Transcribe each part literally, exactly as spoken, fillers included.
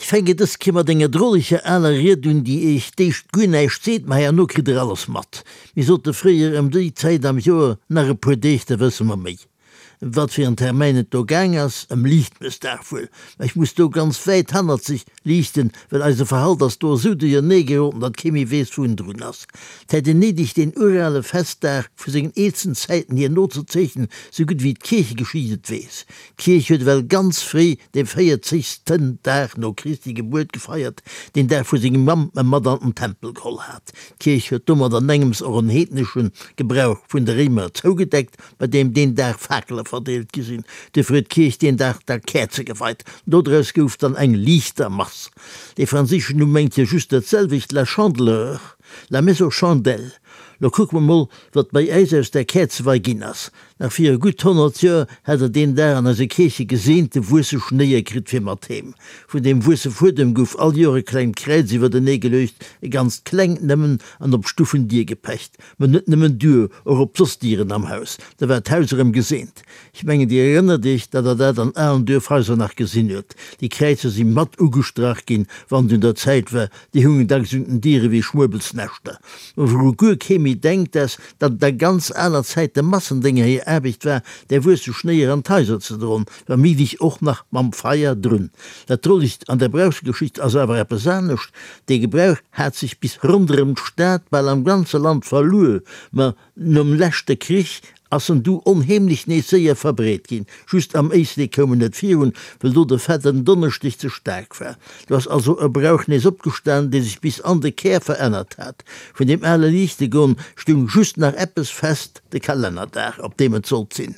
Ech fänken dës Kéier mat enger droleger aler Ried un, déi Iech d'éischt guer näischt seet, ma herno kritt Der alles mat. Mir sote fréier ëm déi Zäit am Joer, Nach e puer Deeg, da wësse mer méi. Ëm wat fir en Termäin et do gaang ass, ëm Liichtmëssdag wuel. Mä ech muss do ganz wäit hannerzeg liichten, well eise Verhalt ass do esou duerjernee geroden, datt kee méi weess, wou en drun ass. 't hätt een néideg, deen urale Festdag vu sengen eelsten Zäiten hier nozezeechnen, sou gutt wéi d'Kierchegeschicht et weess. D'Kierch huet ewell ganz fréi dee véierzegsten Dag no Christi Gebuert gefeiert, deen Dag wou seng Mamm e mat an den Tempel geholl hat. D'Kierch huet domat an engems och en heednesche Gebrauch vun de Réimer zougedeckt, bei deem deen Dag Fakele verdeelt gi sinn. Duerfir huet d'Kierch deen Dag da Käerze geweit. Dodraus gouf dann eng Liichtermass. Dee franséischen Numm mengt jo just dat selwecht, la Chandeleur, la messe aux chandelles. Lo kucke mer mol, wat bei äis aus där Käerzewei ginn ass. Nach viru gutt honnert Joer hat der deen Dag an eise Kierche geseente wuesse Schnéier kritt fir mat heem. Vun deem wuesse Fuedem gouf all Joer e klengt Kräiz iwwertenee geluecht, e ganzt klengt nëmmen, an op d'Stuffendier gepecht. Ma net nëmmen duer, och op soss Dieren am Haus. Da war d'Haus erëm geseent. Ech mengen, Dir erënnert Iech, datt Der dat an alen Duerfhaiser nach gesinn huet. Déi Kräizer si mat ugestrach ginn, wann et un der Zäit war. Déi hungen dacks un den Diere wéi Schmuebelsnäschter. Ma wouru guer kee méi denkt, ass, datt et a ganz aler Zäit de Massendénger hir Aarbecht war, där wuesse Schnéier an d'Haiser ze dron, wa méiglech och nach mam Feier drun. Dat Drolegt an der Brauchsgeschicht ass awer eppes anescht, Dee Gebrauch hat sech bis ronderëm d'Stad, bal am ganze Land verluer, ma nom leschte Krich ass en du onheemlech nees séier verbreet ginn. Just am Éislek koum en net virun, well do de fetten Donneschdeg ze staark war. Do ass also e Brauch nees opgestan, dee sech bis an de Kär verännert hat. Vun deem ale Liichtegoen stung just nach eppes fest, de Kalennerdag, op deem et sollt sinn.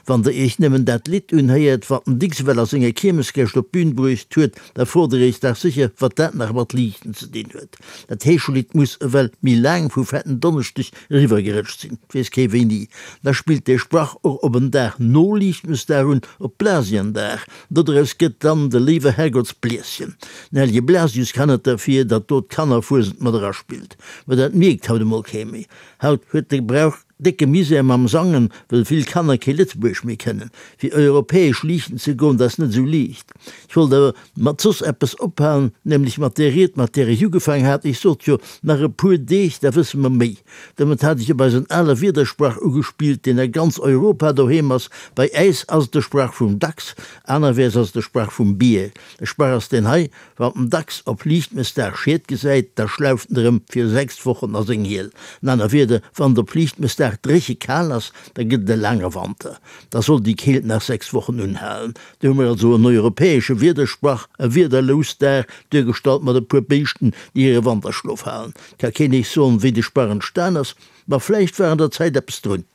Wann der iech nëmmen dat Lidd unhéiert, wat den Dicks ewell a senger Kiermesgäscht op d'Bün bruecht huet, da frot der iech dach sécher, wat dat nach mat Liichten ze dinn huet. Dat Heeschelidd muss ewell méi laang vu Fetten Donneschdeg eriwwergerëtscht sinn, 't weess kee wéini. Da spillt dee Sprach och op en Dag no Liichtmëssdag un, op Blasiendag. Dodraus gëtt dann de léiwe Herrgottsblieschen. Den hellege Blasius kann net derfir, datt do d'Kannerfuesent mat eraspillt. Mä dat mierkt haut emol kee méi. Haut huet de Brauch décke Misär mam Sangen, wëll vill Kanner kee Lëtzebuergesch méi kënnen. Fir europäesch liichten ze goen, dat ass net esou liicht. Ech wollt awer mat soss eppes ophalen, nämlech mat där Ried, mat där ech ugefaang hat. Ech sot jo, nach e puer Deeg, da wësse mer méi. Domat hat ech op eisen ale Wiedersprach ugespillt, deen a ganz Europa doheem ass. Bei äis ass et de Sprach vum Dachs, anerwäers ass et de Sprach vum Bier. De Sprach ass deen hei, Wann den Dachs op Liichtmëssdag Schied gesäit, da schlauft en erëm fir sechs Wochen a seng Hiel. An aner Wierder, wann et op Liichtmëssdag dréche kal ass, da gëtt et e laange Wanter. Da soll déi Keelt nach sechs Wochen unhalen. Do hu mer also en europäesche Wiedersprach, e Wiederlousdag, duergestallt mat e puer Béischten, déi hire Wanterschlof halen. Ka keen Iech soen, wéi de Sprach entstan ass, ma vläicht war an der Zäit eppes drun.